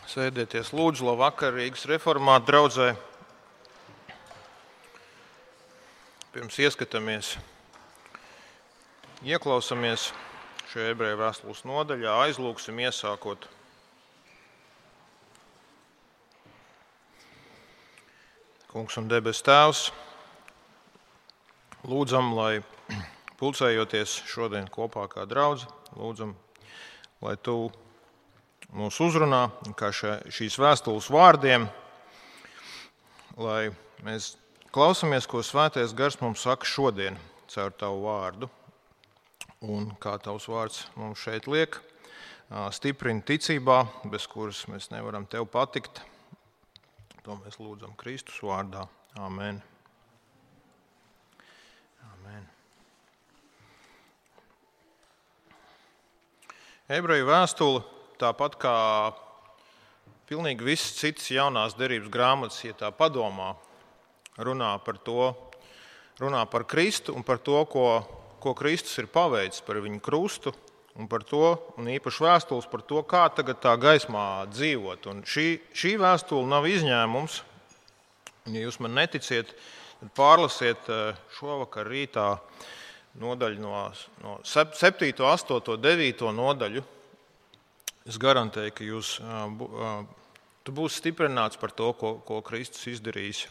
Sēdieties lūdzu, labvakar Rīgas reformātu draudzē. Pirms ieskatāmies, ieklausamies šajā ebreju vēstules nodaļā, aizlūgsim iesākot. Kungs un debes Tēvs, lūdzam, lai pulcējoties šodien kopā kā draudze, lūdzam, lai Tu mūs uzrunā, kā šīs vēstules vārdiem, lai mēs klausamies, ko Svētais Gars mums saka šodien caur Tavu vārdu. Un kā Tavs vārds mums šeit liek, stiprina ticībā, bez kuras mēs nevaram Tev patikt. To mēs lūdzam Kristus vārdā. Amen. Amen. Ebreju vēstule, tāpat kā pilnīgi viss cits jaunās derības grāmatas, ja tā padomā, runā par Kristu un par to, ko Kristus ir paveicis par viņu krustu, un par to, un īpaši vēstules par to, kā tagad tā gaismā dzīvot. Un šī vēstule nav izņēmums. Un, ja jūs man neticiet, tad pārlasiet šovakar rītā nodaļu no 7., 8., 9. nodaļu. Es garantēju, ka tu būsi stiprināts par to, ko Kristus izdarījis.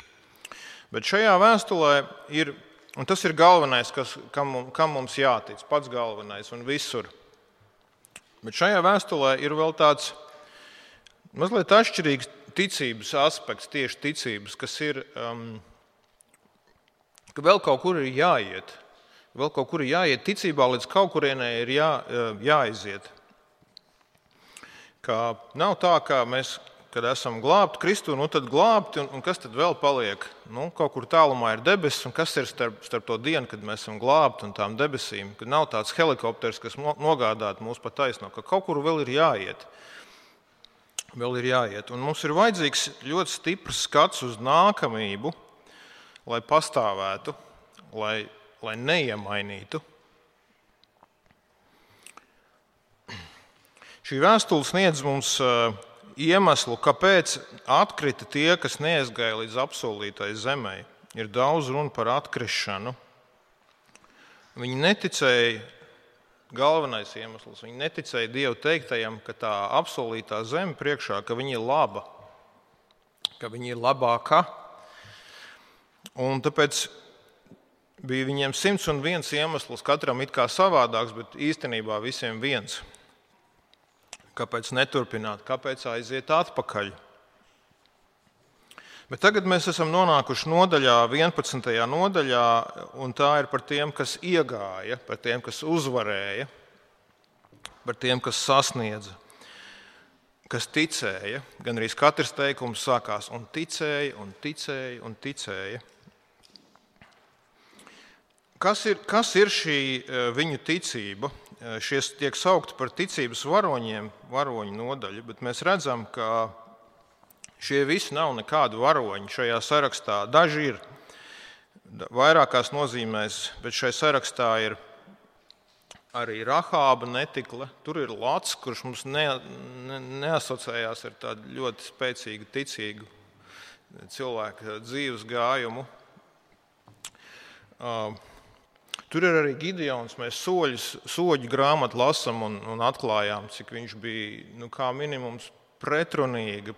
Bet šajā vēstulē ir, un tas ir galvenais, kam mums jātic, pats galvenais un visur. Bet šajā vēstulē ir vēl tāds mazliet atšķirīgs ticības aspekts, tieši ticības, kas ir, ka vēl kaut kur ir jāiet. Vēl kaut kur ir jāiet ticībā, līdz kaut kurienē ir jāiziet. Ka nav tā, ka mēs, kad esam glābti Kristu, tad glābti, un kas tad vēl paliek? Kaut kur tālumā ir debesis, un kas ir starp to dienu, kad mēs esam glābti un tām debesīm? Kad nav tāds helikopters, kas nogādātu mūs pa taisno, ka kaut kur vēl ir jāiet. Vēl ir jāiet. Un mums ir vajadzīgs ļoti stiprs skats uz nākamību, lai pastāvētu, lai neiemainītu. Šī vēstule sniedz mums iemeslu, kāpēc atkrita tie, kas neaizgāja līdz apsolītai zemei. Ir daudz runa par atkrišanu. Viņi neticēja, galvenais iemesls, viņi neticēja Dievu teiktajam, ka tā apsolītā zeme priekšā, ka viņa ir laba, ka viņa ir labāka. Un tāpēc bija viņiem 101 iemesls, katram it kā savādāks, bet īstenībā visiem viens. Kāpēc neturpināt, kāpēc aiziet atpakaļ. Bet tagad mēs esam nonākuši nodaļā, 11. nodaļā, un tā ir par tiem, kas iegāja, par tiem, kas uzvarēja, par tiem, kas sasniedza, kas ticēja. Gan arī katrs teikums sākās un ticēja, un ticēja, un ticēja. Kas ir šī viņu ticība? Šies tiek saukti par ticības varoņiem, varoņu nodaļu, bet mēs redzam, ka šie visi nav nekādi varoņi šajā sarakstā. Daži ir vairākās nozīmēs, bet šai sarakstā ir arī Rahāba netikle. Tur ir Lots, kurš mums neasociējās ar tādu ļoti spēcīgu, ticīgu cilvēku dzīves gājumu. Tur ir arī Gideons. Mēs soļu grāmatu lasam un atklājām, cik viņš bija kā minimums pretrunīga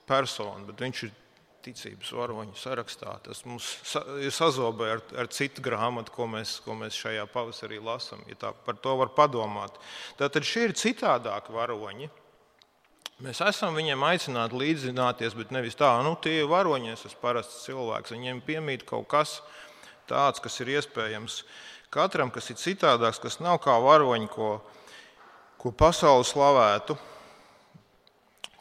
persona, bet viņš ir ticības varoņu sarakstā. Tas mums ir sazobē ar citu grāmatu, ko mēs šajā pavasarī lasam, ja tā par to var padomāt. Tātad šie ir citādāki varoņi. Mēs esam viņiem aicināti līdzināties, bet nevis tā, tie ir varoņi, es esmu parasts cilvēks, viņiem piemīt kaut kas tāds, kas ir iespējams katram, kas ir citādāks, kas nav kā varoņi, ko pasaule slavētu.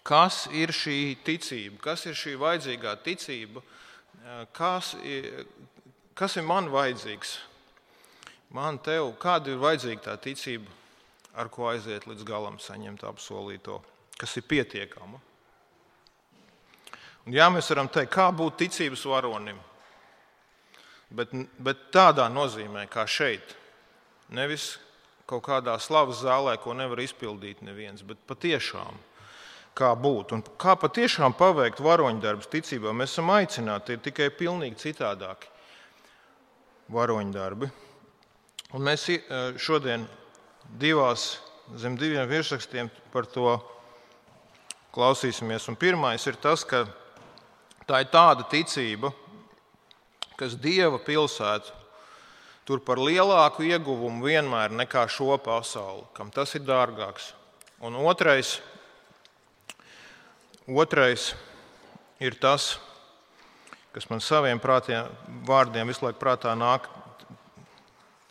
Kas ir šī ticība? Kas ir šī vajadzīgā ticība? Kas ir man vajadzīgs? Man, tev, kāda ir vajadzīga tā ticība, ar ko aiziet līdz galam, saņemt apsolīto, kas ir pietiekama? Un jā, mēs varam teikt, kā būt ticības varonim? Bet tādā nozīmē, kā šeit. Nevis kaut kādā slavas zālē, ko nevar izpildīt neviens, bet patiešām kā būt un kā patiešām paveikt varoņdarbus ticībā. Mēs esam aicināti, ir tikai pilnīgi citādāki varoņdarbi. Un mēs šodien zem diviem virsrakstiem par to klausīsimies. Un pirmais ir tas, ka tā ir tāda ticība, kas Dieva pilsētu tur par lielāku ieguvumu vienmēr nekā šo pasauli, kam tas ir dārgāks. Un otrais ir tas, kas man saviem vārdiem visu laiku prātā nāk.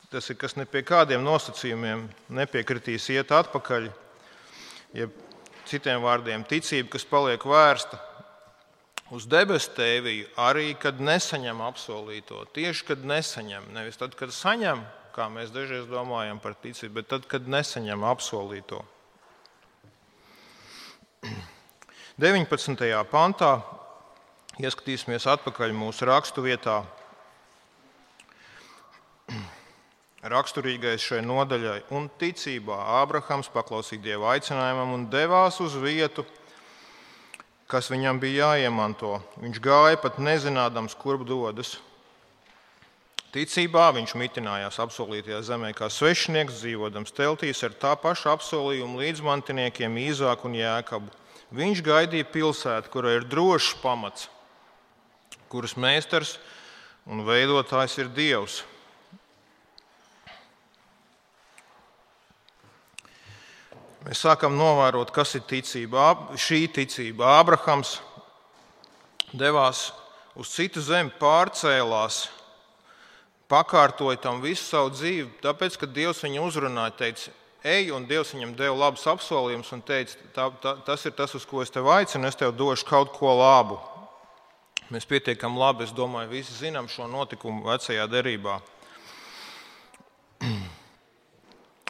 Tas ir, kas ne pie kādiem nosacījumiem nepiekritīs iet atpakaļ, ja citiem vārdiem ticība, kas paliek vērsta uz debesu tēviju, arī kad nesaņem apsolīto. Tieši kad nesaņem, nevis tad, kad saņem, kā mēs dažreiz domājam par ticību, bet tad, kad nesaņem apsolīto. 19. pantā ieskatīsimies atpakaļ mūsu raksturvietā. Raksturīgais šai nodaļai un ticībā Ābrahams paklausīja Dieva aicinājumam un devās uz vietu, kas viņam bija jāiemanto. Viņš gāja pat nezinādams, kurp dodas. Ticībā viņš mitinājās apsolītajā zemē kā svešinieks, dzīvodams teltīs ar tā paša apsolījuma līdzmantiniekiem Īzāku un Jēkabu. Viņš gaidīja pilsētu, kurā ir drošs pamats, kuras meistars un veidotājs ir Dievs. Mēs sākam novērot, kas ir ticība. Šī ticība. Ābrahams devās uz citu zemi, pārcēlās, pakārtoja tam visu savu dzīvi, tāpēc, ka Dievs viņu uzrunāja, teica, ej, un Dievs viņam deva labus apsolījumus un teica, tas ir tas, uz ko es tevi aicinu, es tev došu kaut ko labu. Mēs pietiekam labi, es domāju, visi zinām šo notikumu vecajā derībā.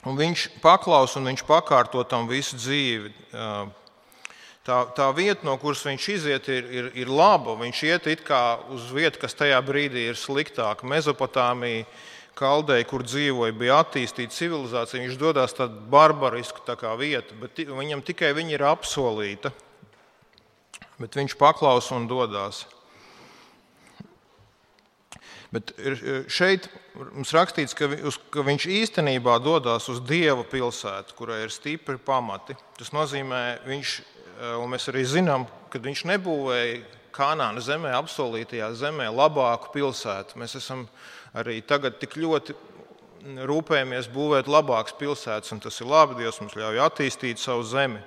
Un viņš paklaus un viņš pakārto tam visu dzīvi. Tā vieta, no kuras viņš iziet, ir laba. Viņš iet it kā uz vietu, kas tajā brīdī ir sliktāka. Mezopotāmija, Kaldeja, kur dzīvoja, bija attīstīta civilizācija. Viņš dodas tāda barbarisku vieta, bet viņam tikai viņa ir apsolīta. Bet viņš paklaus un dodas. Bet šeit mums rakstīts, ka viņš īstenībā dodas uz Dieva pilsētu, kurai ir stipri pamati. Tas nozīmē, un mēs arī zinām, ka viņš nebūvēja Kanāna zemē, apsolītajā zemē, labāku pilsētu. Mēs esam arī tagad tik ļoti rūpējamies būvēt labākas pilsētas, un tas ir labi, Dievs mums ļauj attīstīt savu zemi.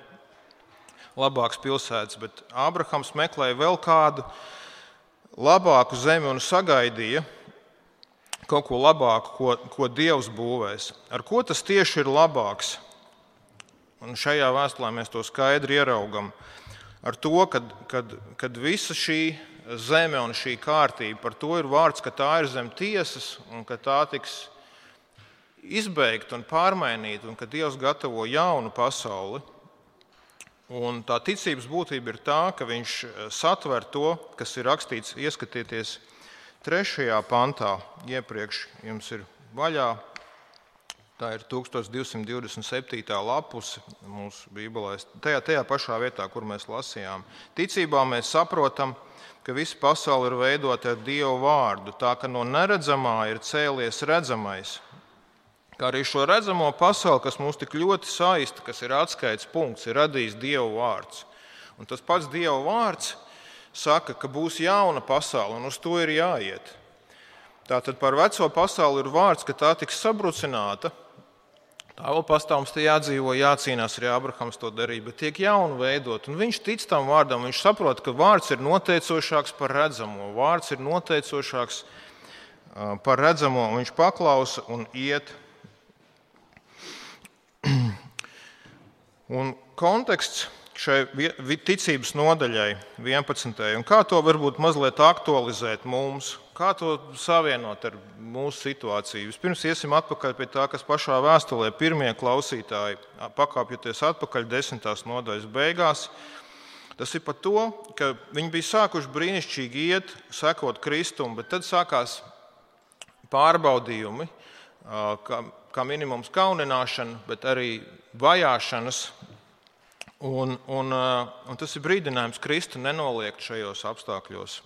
Labākas pilsētas, bet Ābrahams meklēja vēl kādu labāku zemi un sagaidīja kaut ko labāku, ko Dievs būvēs. Ar ko tas tieši ir labāks? Un šajā vēstulē mēs to skaidri ieraugam. Ar to, kad visa šī zeme un šī kārtība, par to ir vārds, ka tā ir zem tiesas un ka tā tiks izbeigta un pārmainīta un ka Dievs gatavo jaunu pasauli. Un tā ticības būtība ir tā, ka viņš satver to, kas ir rakstīts, ieskatieties 3. pantā, iepriekš jums ir vaļā, tā ir 1227. lapuse mūsu bībelēs, tajā pašā vietā, kur mēs lasījām. Ticībā mēs saprotam, ka visa pasaule ir veidota ar Dieva vārdu, tā ka no neredzamā ir cēlies redzamais. Kā arī šo redzamo pasauli, kas mūs tik ļoti saista, kas ir atskaites punkts, ir radījis Dieva vārds. Un tas pats Dieva vārds saka, ka būs jauna pasaule, un uz to ir jāiet. Tātad par veco pasauli ir vārds, ka tā tiks sabrucināta. Tā vēl pastāv, mums te jādzīvo, jācīnās, arī Ābrahams to darīja, bet tiek jaunu veidot. Un viņš tic tam vārdam, viņš saprot, ka vārds ir noteicošāks par redzamo. Vārds ir noteicošāks par redzamo, un viņš paklausa un iet. Un konteksts šai ticības nodaļai 11. un kā to varbūt mazliet aktualizēt mums, kā to savienot ar mūsu situāciju. Vispirms iesim atpakaļ pie tā, kas pašā vēstulē pirmie klausītāji, pakāpjoties atpakaļ 10. nodaļas beigās. Tas ir par to, ka viņi bija sākuši brīnišķīgi iet, sekot Kristum, bet tad sākās pārbaudījumi, kā minimums kaunināšana, bet arī vajāšanas, Un tas ir brīdinājums Kristu nenoliegt šajos apstākļos.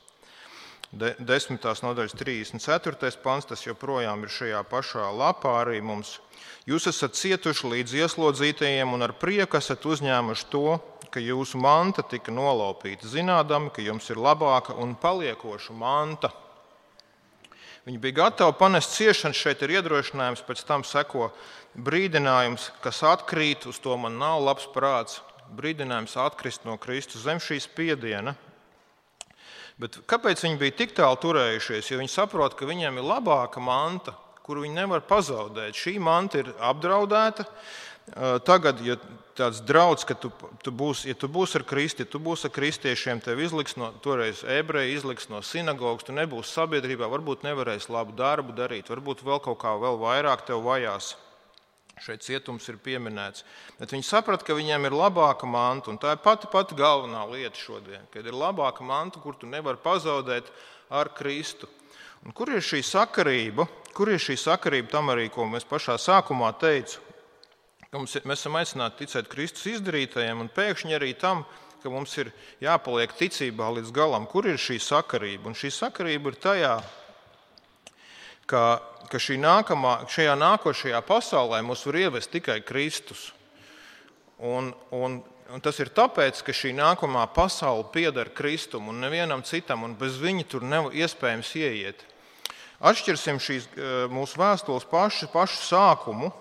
10. nodaļas 34. pants, tas joprojām ir šajā pašā lapā arī mums. Jūs esat cietuši līdz ieslodzītajiem un ar prieku esat uzņēmuši to, ka jūsu manta tika nolaupīta, zinādami, ka jums ir labāka un paliekoša manta. Viņi bija gatavi panest ciešanas, šeit ir iedrošinājums, pēc tam seko brīdinājums, kas atkrīt, uz to man nav labs prāts, brīdinājums atkrist no Kristus zem šī spiediena. Bet kāpēc viņi bija tik tālu turējušies? Jo viņi saprot, ka viņiem ir labāka manta, kuru viņi nevar pazaudēt. Šī manta ir apdraudēta. Tagad, ja tāds draudz, ka tu būsi ar Kristu, ja tu būsi ar kristiešiem, tev izliks toreiz ebreji izliks no sinagogas, tu nebūsi sabiedrībā, varbūt nevarēsi labu darbu darīt, varbūt vēl kaut kā vēl vairāk tev vajās. Šeit cietums ir pieminēts. Bet viņi saprata, ka viņiem ir labāka manta, un tā ir pati galvenā lieta šodien, kad ir labāka manta, kur tu nevari pazaudēt ar Kristu. Un kur ir šī sakarība? Kur ir šī sakarība tam arī, ko mēs pašā sākumā teicu? Ka mēs esam aicināti ticēt Kristus izdarītajiem, un pēkšņi arī tam, ka mums ir jāpaliek ticībā līdz galam. Kur ir šī sakarība? Un šī sakarība ir tajā, ka šajā nākošajā pasaulē mūs var ievest tikai Kristus. Un tas ir tāpēc, ka šī nākamā pasaule pieder Kristum un nevienam citam, un bez viņa tur nav iespējams ieiet. Atšķirsim šīs mūsu vēstules pašu sākumu,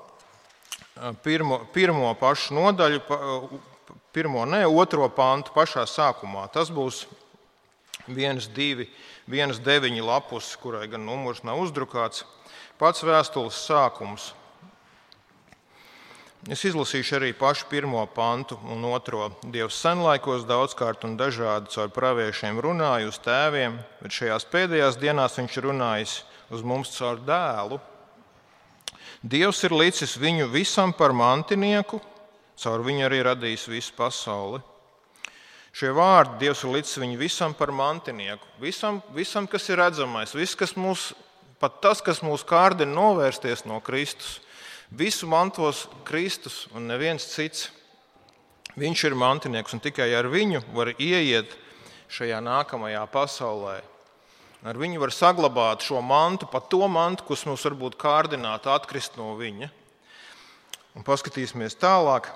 pirmo pašu nodaļu, otro pantu pašā sākumā. Tas būs 1.9 lapus, kurai gan numurs nav uzdrukāts. Pats vēstules sākums. Es izlasīšu arī pašu pirmo pantu un otro. Dievs senlaikos daudzkārt un dažādi caur praviešiem runāja uz tēviem, bet šajās pēdējās dienās viņš runājis uz mums caur dēlu. Dievs ir licis viņu visam par mantinieku, caur viņu arī radījis visu pasauli. Šie vārdi Dievs ir licis viņu visam par mantinieku. Visam, kas ir redzamais, pat tas, kas mūs kārdina novērsties no Kristus, visu mantos Kristus un neviens cits. Viņš ir mantinieks un tikai ar viņu var ieiet šajā nākamajā pasaulē. Ar viņu var saglabāt šo mantu, pat to mantu, kas mums varbūt kārdinātu atkrist no viņa. Un paskatīsimies tālāk,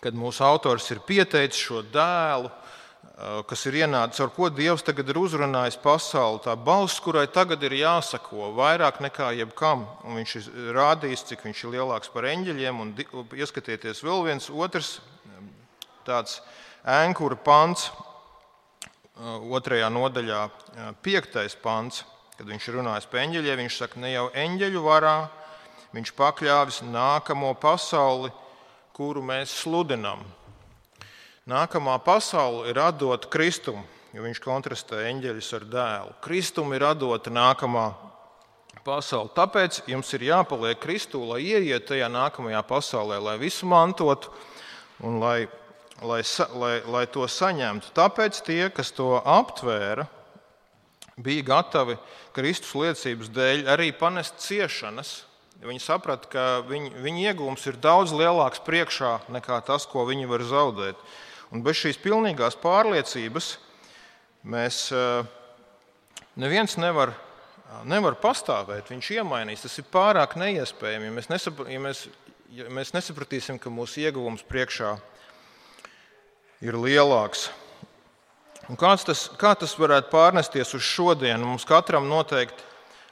kad mūsu autors ir pieteicis šo dēlu, kas ir ienācis, ar ko Dievs tagad ir uzrunājis pasauli. Tā balss, kurai tagad ir jāsako vairāk nekā jebkam. Un viņš ir rādījis, cik viņš ir lielāks par eņģeļiem. Un ieskatieties vēl viens otrs tāds ēnkura pants, 2. nodaļā 5. pants, kad viņš runājas par eņģeļiem, viņš saka, ne jau eņģeļu varā, viņš pakļāvis nākamo pasauli, kuru mēs sludinām. Nākamā pasaule ir atdota Kristum, jo viņš kontrastē eņģeļus ar dēlu. Kristum ir atdota nākamā pasaule. Tāpēc jums ir jāpaliek Kristū, lai ieiet tajā nākamajā pasaulē, lai visu mantotu un lai to saņemtu. Tāpēc tie, kas to aptvēra, bija gatavi Kristus liecības dēļ arī panest ciešanas. Viņi saprata, ka viņu iegūms ir daudz lielāks priekšā nekā tas, ko viņi var zaudēt. Un bez šīs pilnīgās pārliecības neviens nevar pastāvēt. Viņš iemainīs. Tas ir pārāk neiespējami, ja mēs nesapratīsim, ka mūsu ieguvums priekšā ir lielāks. Un kā tas varētu pārnesties uz šodienu? Mums katram noteikti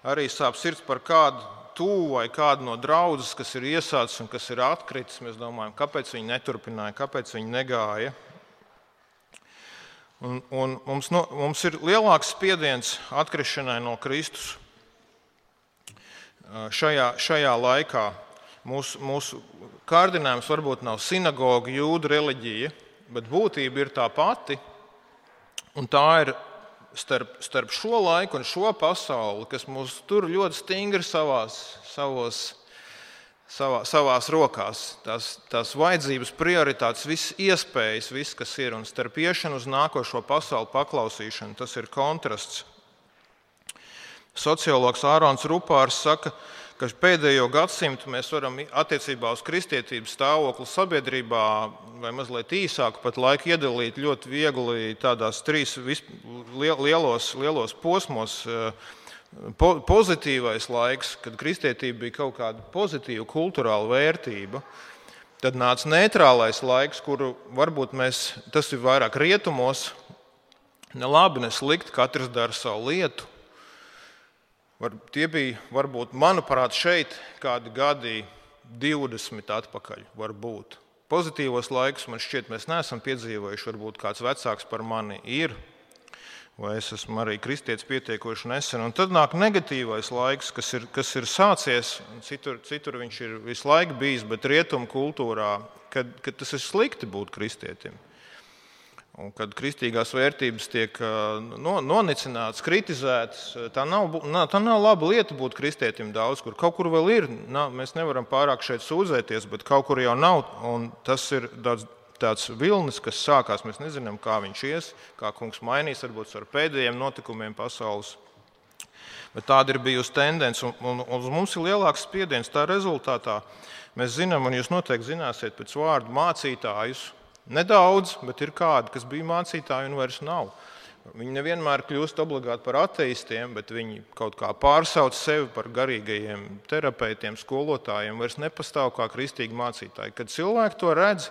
arī sāp sirds par kādu tuvu vai kādu no draudzes, kas ir iesācis un kas ir atkritis. Mēs domājam, kāpēc viņi neturpināja, kāpēc viņi negāja. Un mums ir lielāks spiediens atkrišanai no Kristus šajā laikā. Mūsu kārdinājums varbūt nav sinagoga, jūdu reliģija, bet būtība ir tā pati, un tā ir starp šo laiku un šo pasauli, kas mūs tur ļoti stingri savās rokās. Tās vajadzības, prioritātes, visas iespējas, viss, kas ir, un starp iešanu uz nākošo pasauli paklausīšanu, tas ir kontrasts. Sociologs Ārons Rupārs saka, ka pēdējo gadsimtu mēs varam attiecībā uz kristietības stāvokli sabiedrībā vai mazliet īsāku pat laiku iedalīt ļoti viegli tādās trīs lielos posmos. Pozitīvais laiks, kad kristietība bija kaut kāda pozitīva kulturāla vērtība. Tad nāca neitrālais laiks, kuru varbūt tas ir vairāk rietumos, ne labi, ne slikti, katrs dara savu lietu. Tie bija, varbūt, manuprāt, šeit kādi gadi 20 atpakaļ. Varbūt. Pozitīvos laikus man šķiet, mēs neesam piedzīvojuši, varbūt kāds vecāks par mani ir, vai es esmu arī kristietis pietiekoši nesen. Un tad nāk negatīvais laiks, kas ir sācies, citur viņš ir visu laiku bijis, bet rietumu kultūrā, kad tas ir slikti būt kristietim. Un kad kristīgās vērtības tiek nonicinātas, kritizētas, tā nav laba lieta būt kristietim daudz kur. Kaut kur vēl ir, mēs nevaram pārāk šeit sūdzēties, bet kaut kur jau nav. Un tas ir tāds vilnis, kas sākās, mēs nezinām, kā viņš ies, kā kungs mainīs, varbūt ar pēdējiem notikumiem pasaules. Bet tāda ir bijusi tendence, un uz mums ir lielāks spiediens. Tā rezultātā mēs zinām, un jūs noteikti zināsiet pēc vārdu mācītājus. Nedaudz, bet ir kādi, kas bija mācītāji un vairs nav. Viņi nevienmēr kļūst obligāti par ateistiem, bet viņi kaut kā pārsauc sevi par garīgajiem terapeitiem, skolotājiem, vairs nepastāv kā kristīgi mācītāji. Kad cilvēki to redz,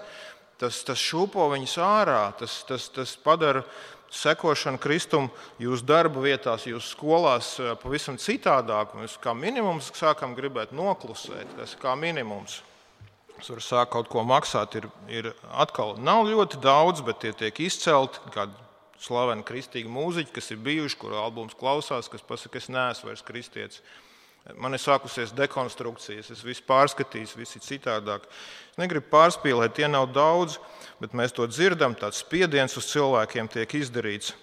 tas šūpo viņus ārā, tas padara sekošanu Kristum jūsu darba vietās, jūsu skolās pavisam citādāk. Mēs kā minimums sākam gribēt noklusēt, tas kā minimums. Es varu sākt kaut ko maksāt, ir atkal nav ļoti daudz, bet tie tiek izcelti kādi slaveni kristīgi mūziķi, kas ir bijuši, kuru albums klausās, kas pasaka, es neesmu vairs kristietis. Man ir sākusies dekonstrukcijas, es visu pārskatīju, viss ir citādāk. Es negribu pārspīlēt, tie nav daudz, bet mēs to dzirdam, tāds spiediens uz cilvēkiem tiek izdarīts.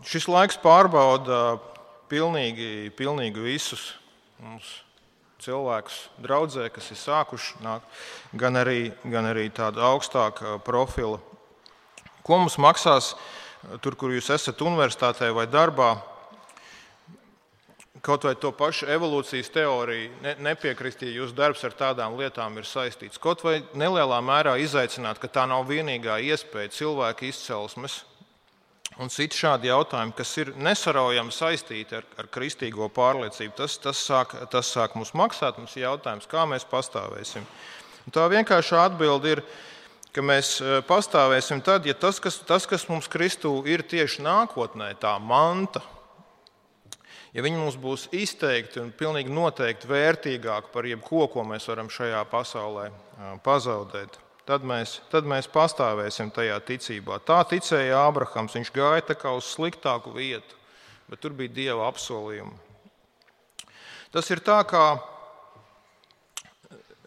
Šis laiks pārbauda pilnīgi visus mums cilvēkus draudzē, kas ir sākuši nākt, gan arī tāda augstāka profila. Ko mums maksās tur, kur jūs esat universitātē vai darbā? Kaut vai to pašu evolūcijas teoriju nepiekrist, ja jūsu darbs ar tādām lietām ir saistīts. Kaut vai nelielā mērā izaicināt, ka tā nav vienīgā iespēja cilvēka izcelsmes un citi šādi jautājumi, kas ir nesaraujami saistīti ar kristīgo pārliecību. Tas sāk mums maksāt, mums ir jautājums, kā mēs pastāvēsim. Un tā vienkāršā atbilde ir, ka mēs pastāvēsim tad, ja tas, kas mums Kristū ir tieši nākotnē, tā manta, ja viņi mums būs izteikti un pilnīgi noteikti vērtīgāki par jebko, ko mēs varam šajā pasaulē pazaudēt, tad mēs pastāvēsim tajā ticībā. Tā ticēja Ābrahams, viņš gāja tā kā uz sliktāku vietu, bet tur bija Dieva apsolījumi. Tas ir tā, kā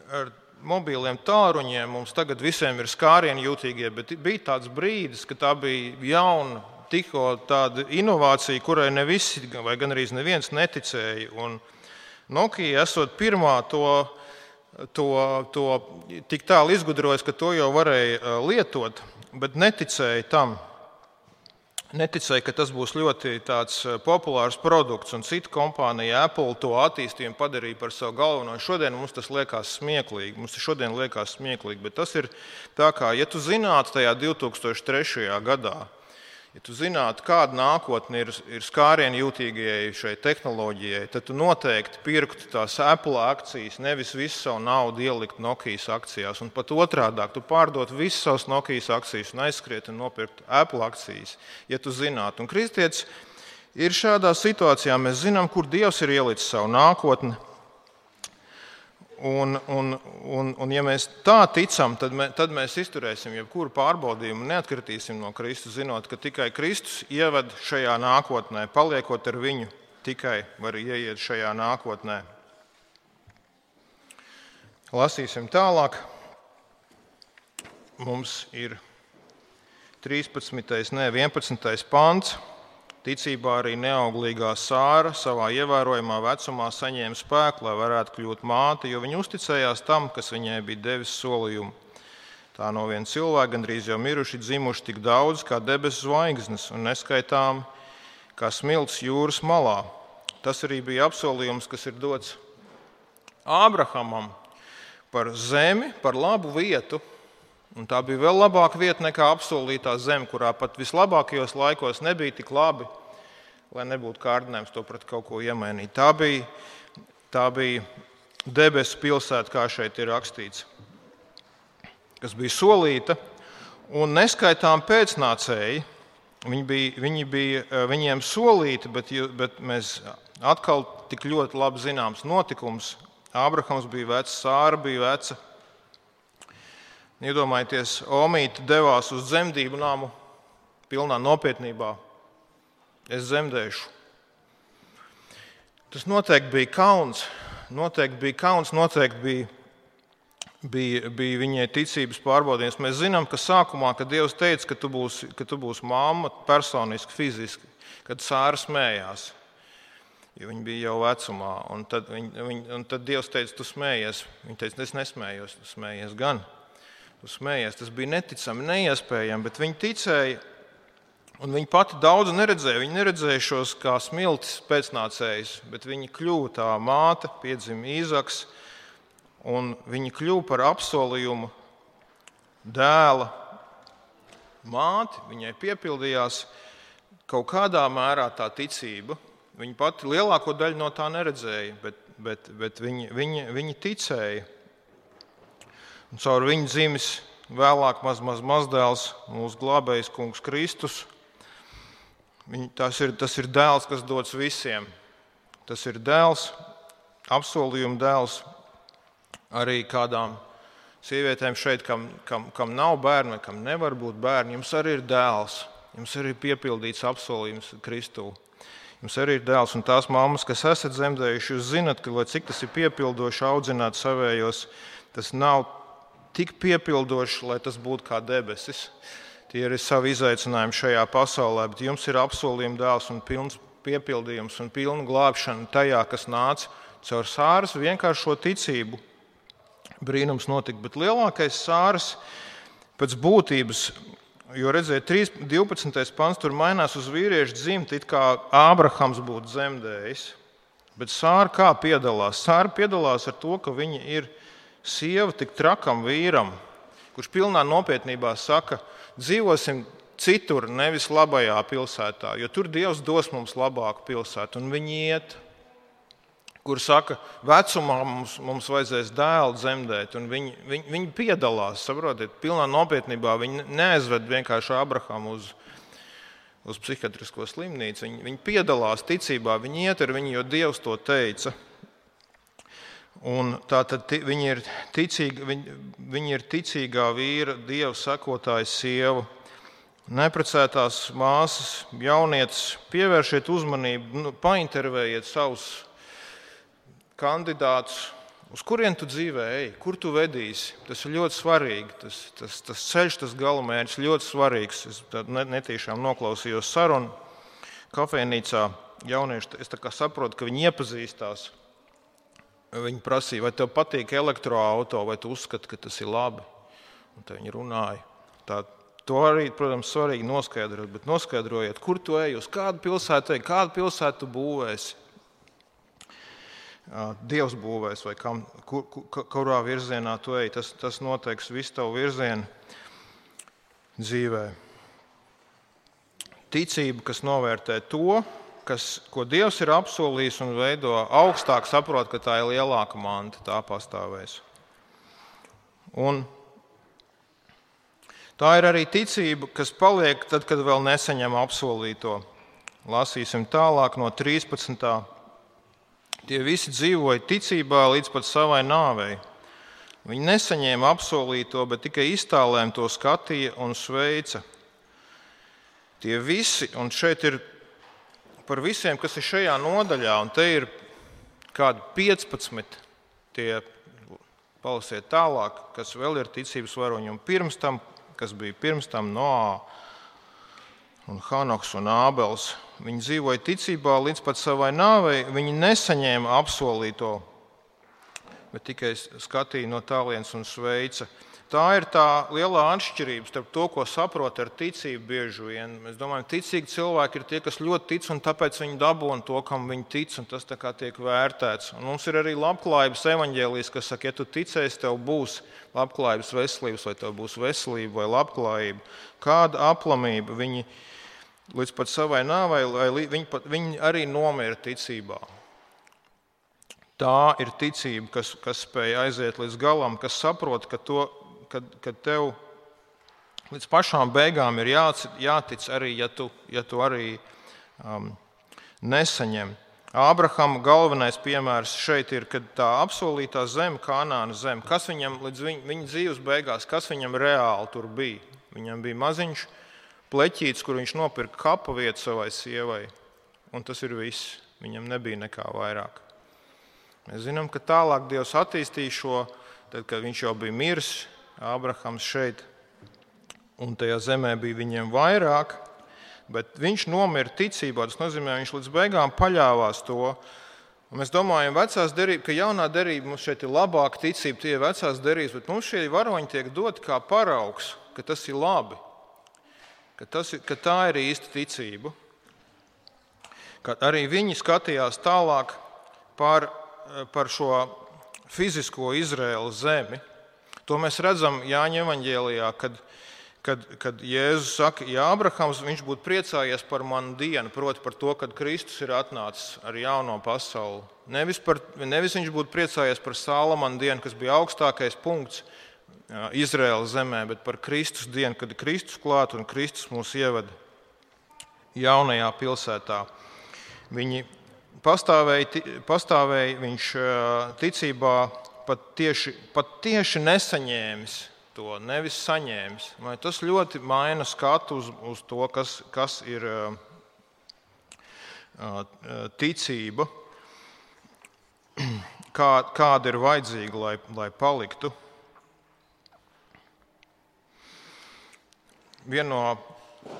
ar mobīliem tālruņiem mums tagad visiem ir skārienjūtīgie, bet bija tāds brīdis, ka tā bija jauna, tikko tāda inovācija, kurai ne visi vai gan arī neviens neticēja. Un Nokia esot pirmā to tik tālu izgudrojas, ka to jau varēja lietot, bet neticēja tam. Neticēja, ka tas būs ļoti tāds populārs produkts, un cita kompānija Apple to attīstījumu padarīja par savu galveno. Šodien mums tas liekas smieklīgi, bet tas ir tā kā, ja tu zinātu tajā 2003. gadā, ja tu zinātu, kāda nākotne ir skārienjūtīgajai šai tehnoloģijai, tad tu noteikti pirktu tās Apple akcijas, nevis visu savu naudu ielikt Nokijas akcijās. Un pat otrādāk, tu pārdotu visu savus Nokijas akcijas un aizskriet un nopirkt Apple akcijas, ja tu zinātu. Un kristietis ir šādā situācijā, mēs zinām, kur Dievs ir ielicis savu nākotni. Un ja mēs tā ticam, tad mēs izturēsim jebkuru pārbaudījumu un neatkritīsim no Kristus, zinot, ka tikai Kristus ieved šajā nākotnē, paliekot ar viņu, tikai var ieiet šajā nākotnē. Lasīsim tālāk. Mums ir 11. pants. Ticībā arī neauglīgā Sāra savā ievērojamā vecumā saņēma spēku, lai varētu kļūt māte, jo viņa uzticējās tam, kas viņai bija devis solījumu. Tā no viena cilvēka gandrīz jau miruši dzimuši tik daudz kā debesu zvaigznes un neskaitām kā smilts jūras malā. tas arī bija apsolījums, kas ir dots Ābrahamam par zemi, par labu vietu. Un tā bija vēl labāka vieta nekā apsolītā zeme, kurā pat vislabākajos laikos nebija tik labi, lai nebūtu kārdinājums to pret kaut ko iemainīt. Tā bija debesu pilsēta, kā šeit ir rakstīts, kas bija solīta, un neskaitām pēcnācēji. Viņiem solīti, bet mēs atkal tik ļoti labi zināms notikums. Ābrahams bija vecs, Sāra bija veca. Iedomājieties, Omīte devās uz dzemdību namu pilnā nopietnībā. Es dzemdēšu. Tas noteikti bija kauns. Noteikti bija viņai ticības pārbaudījums. Mēs zinām, ka sākumā, kad Dievs teica, ka tu būsi mamma personiski, fiziski, kad Sāra smējās, jo viņa bija jau vecumā. Un tad Dievs teica, tu smējies. Viņa teica, es nesmējos, tu smējies gan. Tu smējies. Tas bija neticami, neiespējami, bet viņa ticēja. Un viņa pati daudz neredzēja. Viņa neredzēja šos kā smiltis pēcnācējus, bet viņa kļuva tā māte, piedzima Īzaks, un viņa kļuva par apsolījumu dēla māti. Viņai piepildījās kaut kādā mērā tā ticība. Viņa pati lielāko daļu no tā neredzēja, bet viņa ticēja. Un caur viņu dzimis vēlāk mazdēls, mūsu glābējs kungs Kristus. Tas ir dēls, kas dots visiem. Tas ir dēls, apsolījuma dēls arī kādām sievietēm šeit, kam nav bērni, kam nevar būt bērni. Jums arī ir dēls, jums arī ir piepildīts apsolījums Kristū. Jums arī ir dēls, un tās mammas, kas esat dzemdējuši, jūs zinat, ka, lai cik tas ir piepildoši audzināt savējos, tas nav tik piepildoši, lai tas būtu kā debesis. Tie ir savi izaicinājumi šajā pasaulē, bet jums ir apsolījuma dēls un pilns piepildījums un pilna glābšana tajā, kas nāca caur Sāras vienkāršo ticību. Brīnums notika, bet lielākais Sāras pēc būtības, jo redziet, 12. pants tur mainās uz vīriešu dzimti, it kā Ābrahams būtu dzemdējis. Bet Sāra kā piedalās? Sāra piedalās ar to, ka viņa ir sieva tik trakam vīram, kurš pilnā nopietnībā saka, dzīvosim citur, nevis labajā pilsētā, jo tur Dievs dos mums labāku pilsētu. Un viņi iet, kur saka, vecumā mums vajadzēs dēlu dzemdēt. Un viņi piedalās, saprotiet, pilnā nopietnībā. Viņi neaizved vienkārši Abrahamu uz psihiatrisko slimnīcu. Viņi piedalās ticībā, viņi iet ar viņu, jo Dievs to teica. Un tātad viņi ir ticīgā vīra, Dieva sekotāja sieva. Neprecētās māsas, jaunietes, pievēršiet uzmanību, paintervējiet savus kandidātus, uz kurien tu dzīvē ej, kur tu vedīsi. Tas ir ļoti svarīgi. Tas ceļš, tas galamērķis ļoti svarīgs. Es netīšām noklausījos sarunu kafejnīcā. Jaunieši, es tā kā saprotu, ka viņi iepazīstās. Viņi prasīja, vai tev patīk elektroauto, vai tu uzskati, ka tas ir labi. Un tad viņi runāja. To arī, protams, svarīgi noskaidrot, bet noskaidrojiet, kur tu ej, uz kādu pilsētu ej, kādu pilsētu tu būvēsi. Dievs būvēs vai kurā virzienā tu ej. Tas noteiks visu tavu virzienu dzīvē. Ticība, kas novērtē to, ko Dievs ir apsolījis un veido augstāk, saprot, ka tā ir lielāka manta, tā pastāvēs. Un tā ir arī ticība, kas paliek tad, kad vēl nesaņem apsolīto. Lasīsim tālāk no 13. Tie visi dzīvoja ticībā līdz pat savai nāvei. Viņi nesaņēma apsolīto, bet tikai iztālēm to skatīja un sveica. Tie visi, un šeit ir par visiem, kas ir šajā nodaļā, un te ir kādi 15, tie palasiet tālāk, kas vēl ir ticības varoņi, un pirms tam, kas bija pirms tam Noā un Hanoks un Ābels. Viņi dzīvoja ticībā līdz pat savai nāvei, viņi nesaņēma apsolīto, bet tikai skatīja no tālienes un sveica. Tā ir tā lielā atšķirība starp to, ko saprot ar ticību bieži vien. Mēs domājam, ticīgi cilvēki ir tie, kas ļoti tic, un tāpēc viņi dabūna to, kam viņi tic, un tas tā kā tiek vērtēts. Un mums ir arī labklājības evaņģēlijs, kas saka, ja tu ticēsi, tev būs labklājības veselības, vai tev būs veselība vai labklājība. Kāda aplamība viņi līdz pat savai nāvei, viņi arī nomira ticībā. Tā ir ticība, kas spēj aiziet līdz galam, kas saprot, ka tev līdz pašām beigām ir jātic arī, ja tu arī nesaņem. Ābrahama galvenais piemērs šeit ir, kad tā apsolītā zeme, Kanānas zeme, kas viņam līdz viņa dzīves beigās, kas viņam reāli tur bija. Viņam bija maziņš pleķītis, kur viņš nopirka kapa vietu savai sievai, un tas ir viss. Viņam nebija nekā vairāk. Mēs zinām, ka tālāk Dievs attīstīja šo, tad, kad viņš jau bija miris, Ābrahams šeit, un tajā zemē bija viņiem vairāk, bet viņš nomira ticībā. Tas nozīmē, viņš līdz beigām paļāvās to. Un mēs domājam, ka jaunā derība mums šeit ir labāka ticība, tie ir vecās derības, bet mums šie varoņi tiek doti kā paraugs, ka tas ir labi, ka tā ir īsta ticība. Kad arī viņi skatījās tālāk par šo fizisko Izraēlas zemi. To mēs redzam Jāņa evaņģēlijā, kad Jēzus saka, ja Ābrahams viņš būtu priecājies par manu dienu, proti par to, kad Kristus ir atnācis ar jauno pasauli. Nevis viņš būtu priecājies par Salamana dienu, kas bija augstākais punkts Izraēlas zemē, bet par Kristus dienu, kad Kristus klāt un Kristus mūs ievada jaunajā pilsētā. Viņi pastāvēja viņš ticībā pat tieši nesaņēmis to, nevis saņēmis. Tas ļoti maina skatu uz to, kas ir ticība, kāda ir vajadzīga, lai paliktu. Viena no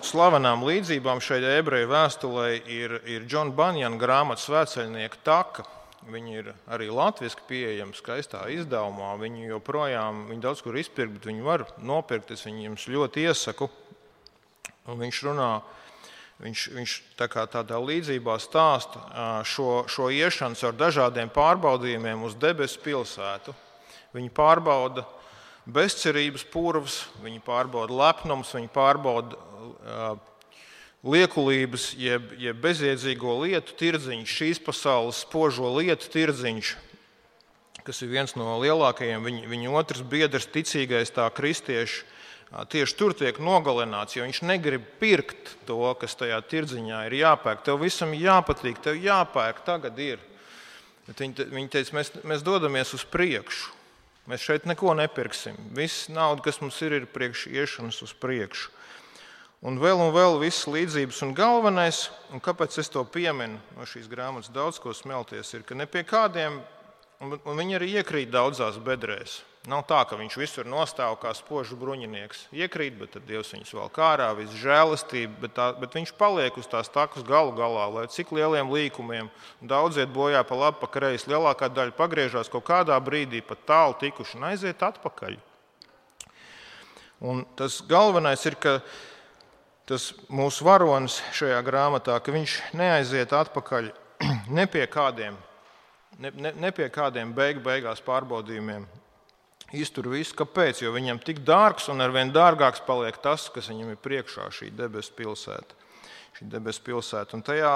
slavenām līdzībām šeit ebreju vēstulē ir John Bunyan grāmata Svētceļnieka taka. Viņi ir arī latviski pieejami skaistā izdevumā. Viņi joprojām, viņi daudz kur izpirkt, bet viņi var nopirkt. Es viņiem jums ļoti iesaku. Un viņš runā, viņš tādā līdzībā stāsta šo iešanu ar dažādiem pārbaudījumiem uz debesu pilsētu. Viņi pārbauda bezcerības purvs, viņi pārbauda lepnums, viņi pārbauda liekulības, jeb bezjēdzīgo lietu tirdziņš, šīs pasaules spožo lietu tirdziņš, kas ir viens no lielākajiem. Viņa otrs biedrs, ticīgais tā kristieši, tieši tur tiek nogalināts, jo viņš negrib pirkt to, kas tajā tirdziņā ir jāpērk. Tev visam jāpatīk, tev jāpērk, tagad ir. Bet viņi teica, mēs dodamies uz priekšu. Mēs šeit neko nepirksim. Viss nauda, kas mums ir priekš iešanas uz priekšu. Un vēl visas līdzības. Un galvenais, un kāpēc es to pieminu no šīs grāmatas daudz ko smelties, ir, ka ne pie kādiem, un viņi arī iekrīt daudzās bedrēs. Nav tā, ka viņš visur nostāv kā spožu bruņinieks. Iekrīt, bet tad Dievs viņus vēl kārā, viss žēlastība, bet viņš paliek uz tās takas galu galā, lai cik lieliem līkumiem daudz iet bojā pa labi, pa kreisi, lielākā daļa pagriežās kaut kādā brīdī pat tālu tikuši un aiziet atpakaļ. Un tas galvenais ir, ka tas mūsu varonis šajā grāmatā, ka viņš neaiziet atpakaļ ne pie kādiem beigās pārbaudījumiem. Iztur visu. Kāpēc? Jo viņam tik dārgs un arvien dārgāks paliek tas, kas viņam ir priekšā, šī debesu pilsēta. Un tajā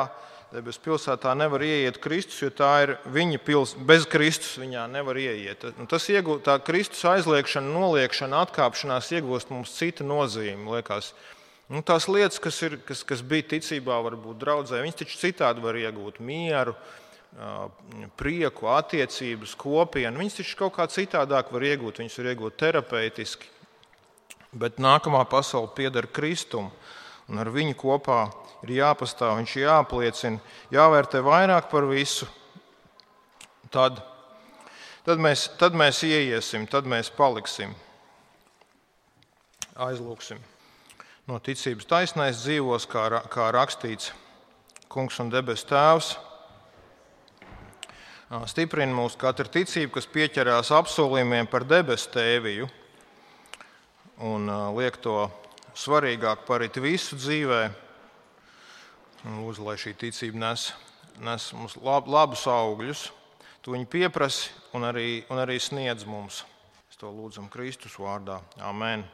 debesu pilsētā nevar ieiet Kristus, jo tā ir viņa pilsēta. Bez Kristus viņā nevar ieiet. Un tā Kristus aizliekšana, noliekšana, atkāpšanās iegūst mums cita nozīme, liekas. Tās lietas, kas bija ticībā, varbūt draudzē, viņas taču citādi var iegūt mieru, prieku, attiecības, kopienu. Viņas taču kaut kā citādāk var iegūt. Viņas var iegūt terapeitiski. Bet nākamā pasaule pieder Kristum, un ar viņu kopā ir jāpastāv, viņš jāapliecina, jāvērtē vairāk par visu. Tad mēs ieiesim, tad mēs paliksim. Aizlūksim. No ticības taisnais dzīvos, kā rakstīts, Kungs un debesu Tēvs. Stiprina mūs katra ticība, kas pieķerās apsolījumiem par debesu tēviju. un liek to svarīgāk par it visu dzīvē. Lūdzu, lai šī ticība nes mums labus augļus. Tu viņu pieprasi un arī sniedz mums. Mēs to lūdzam Kristus vārdā. Amen.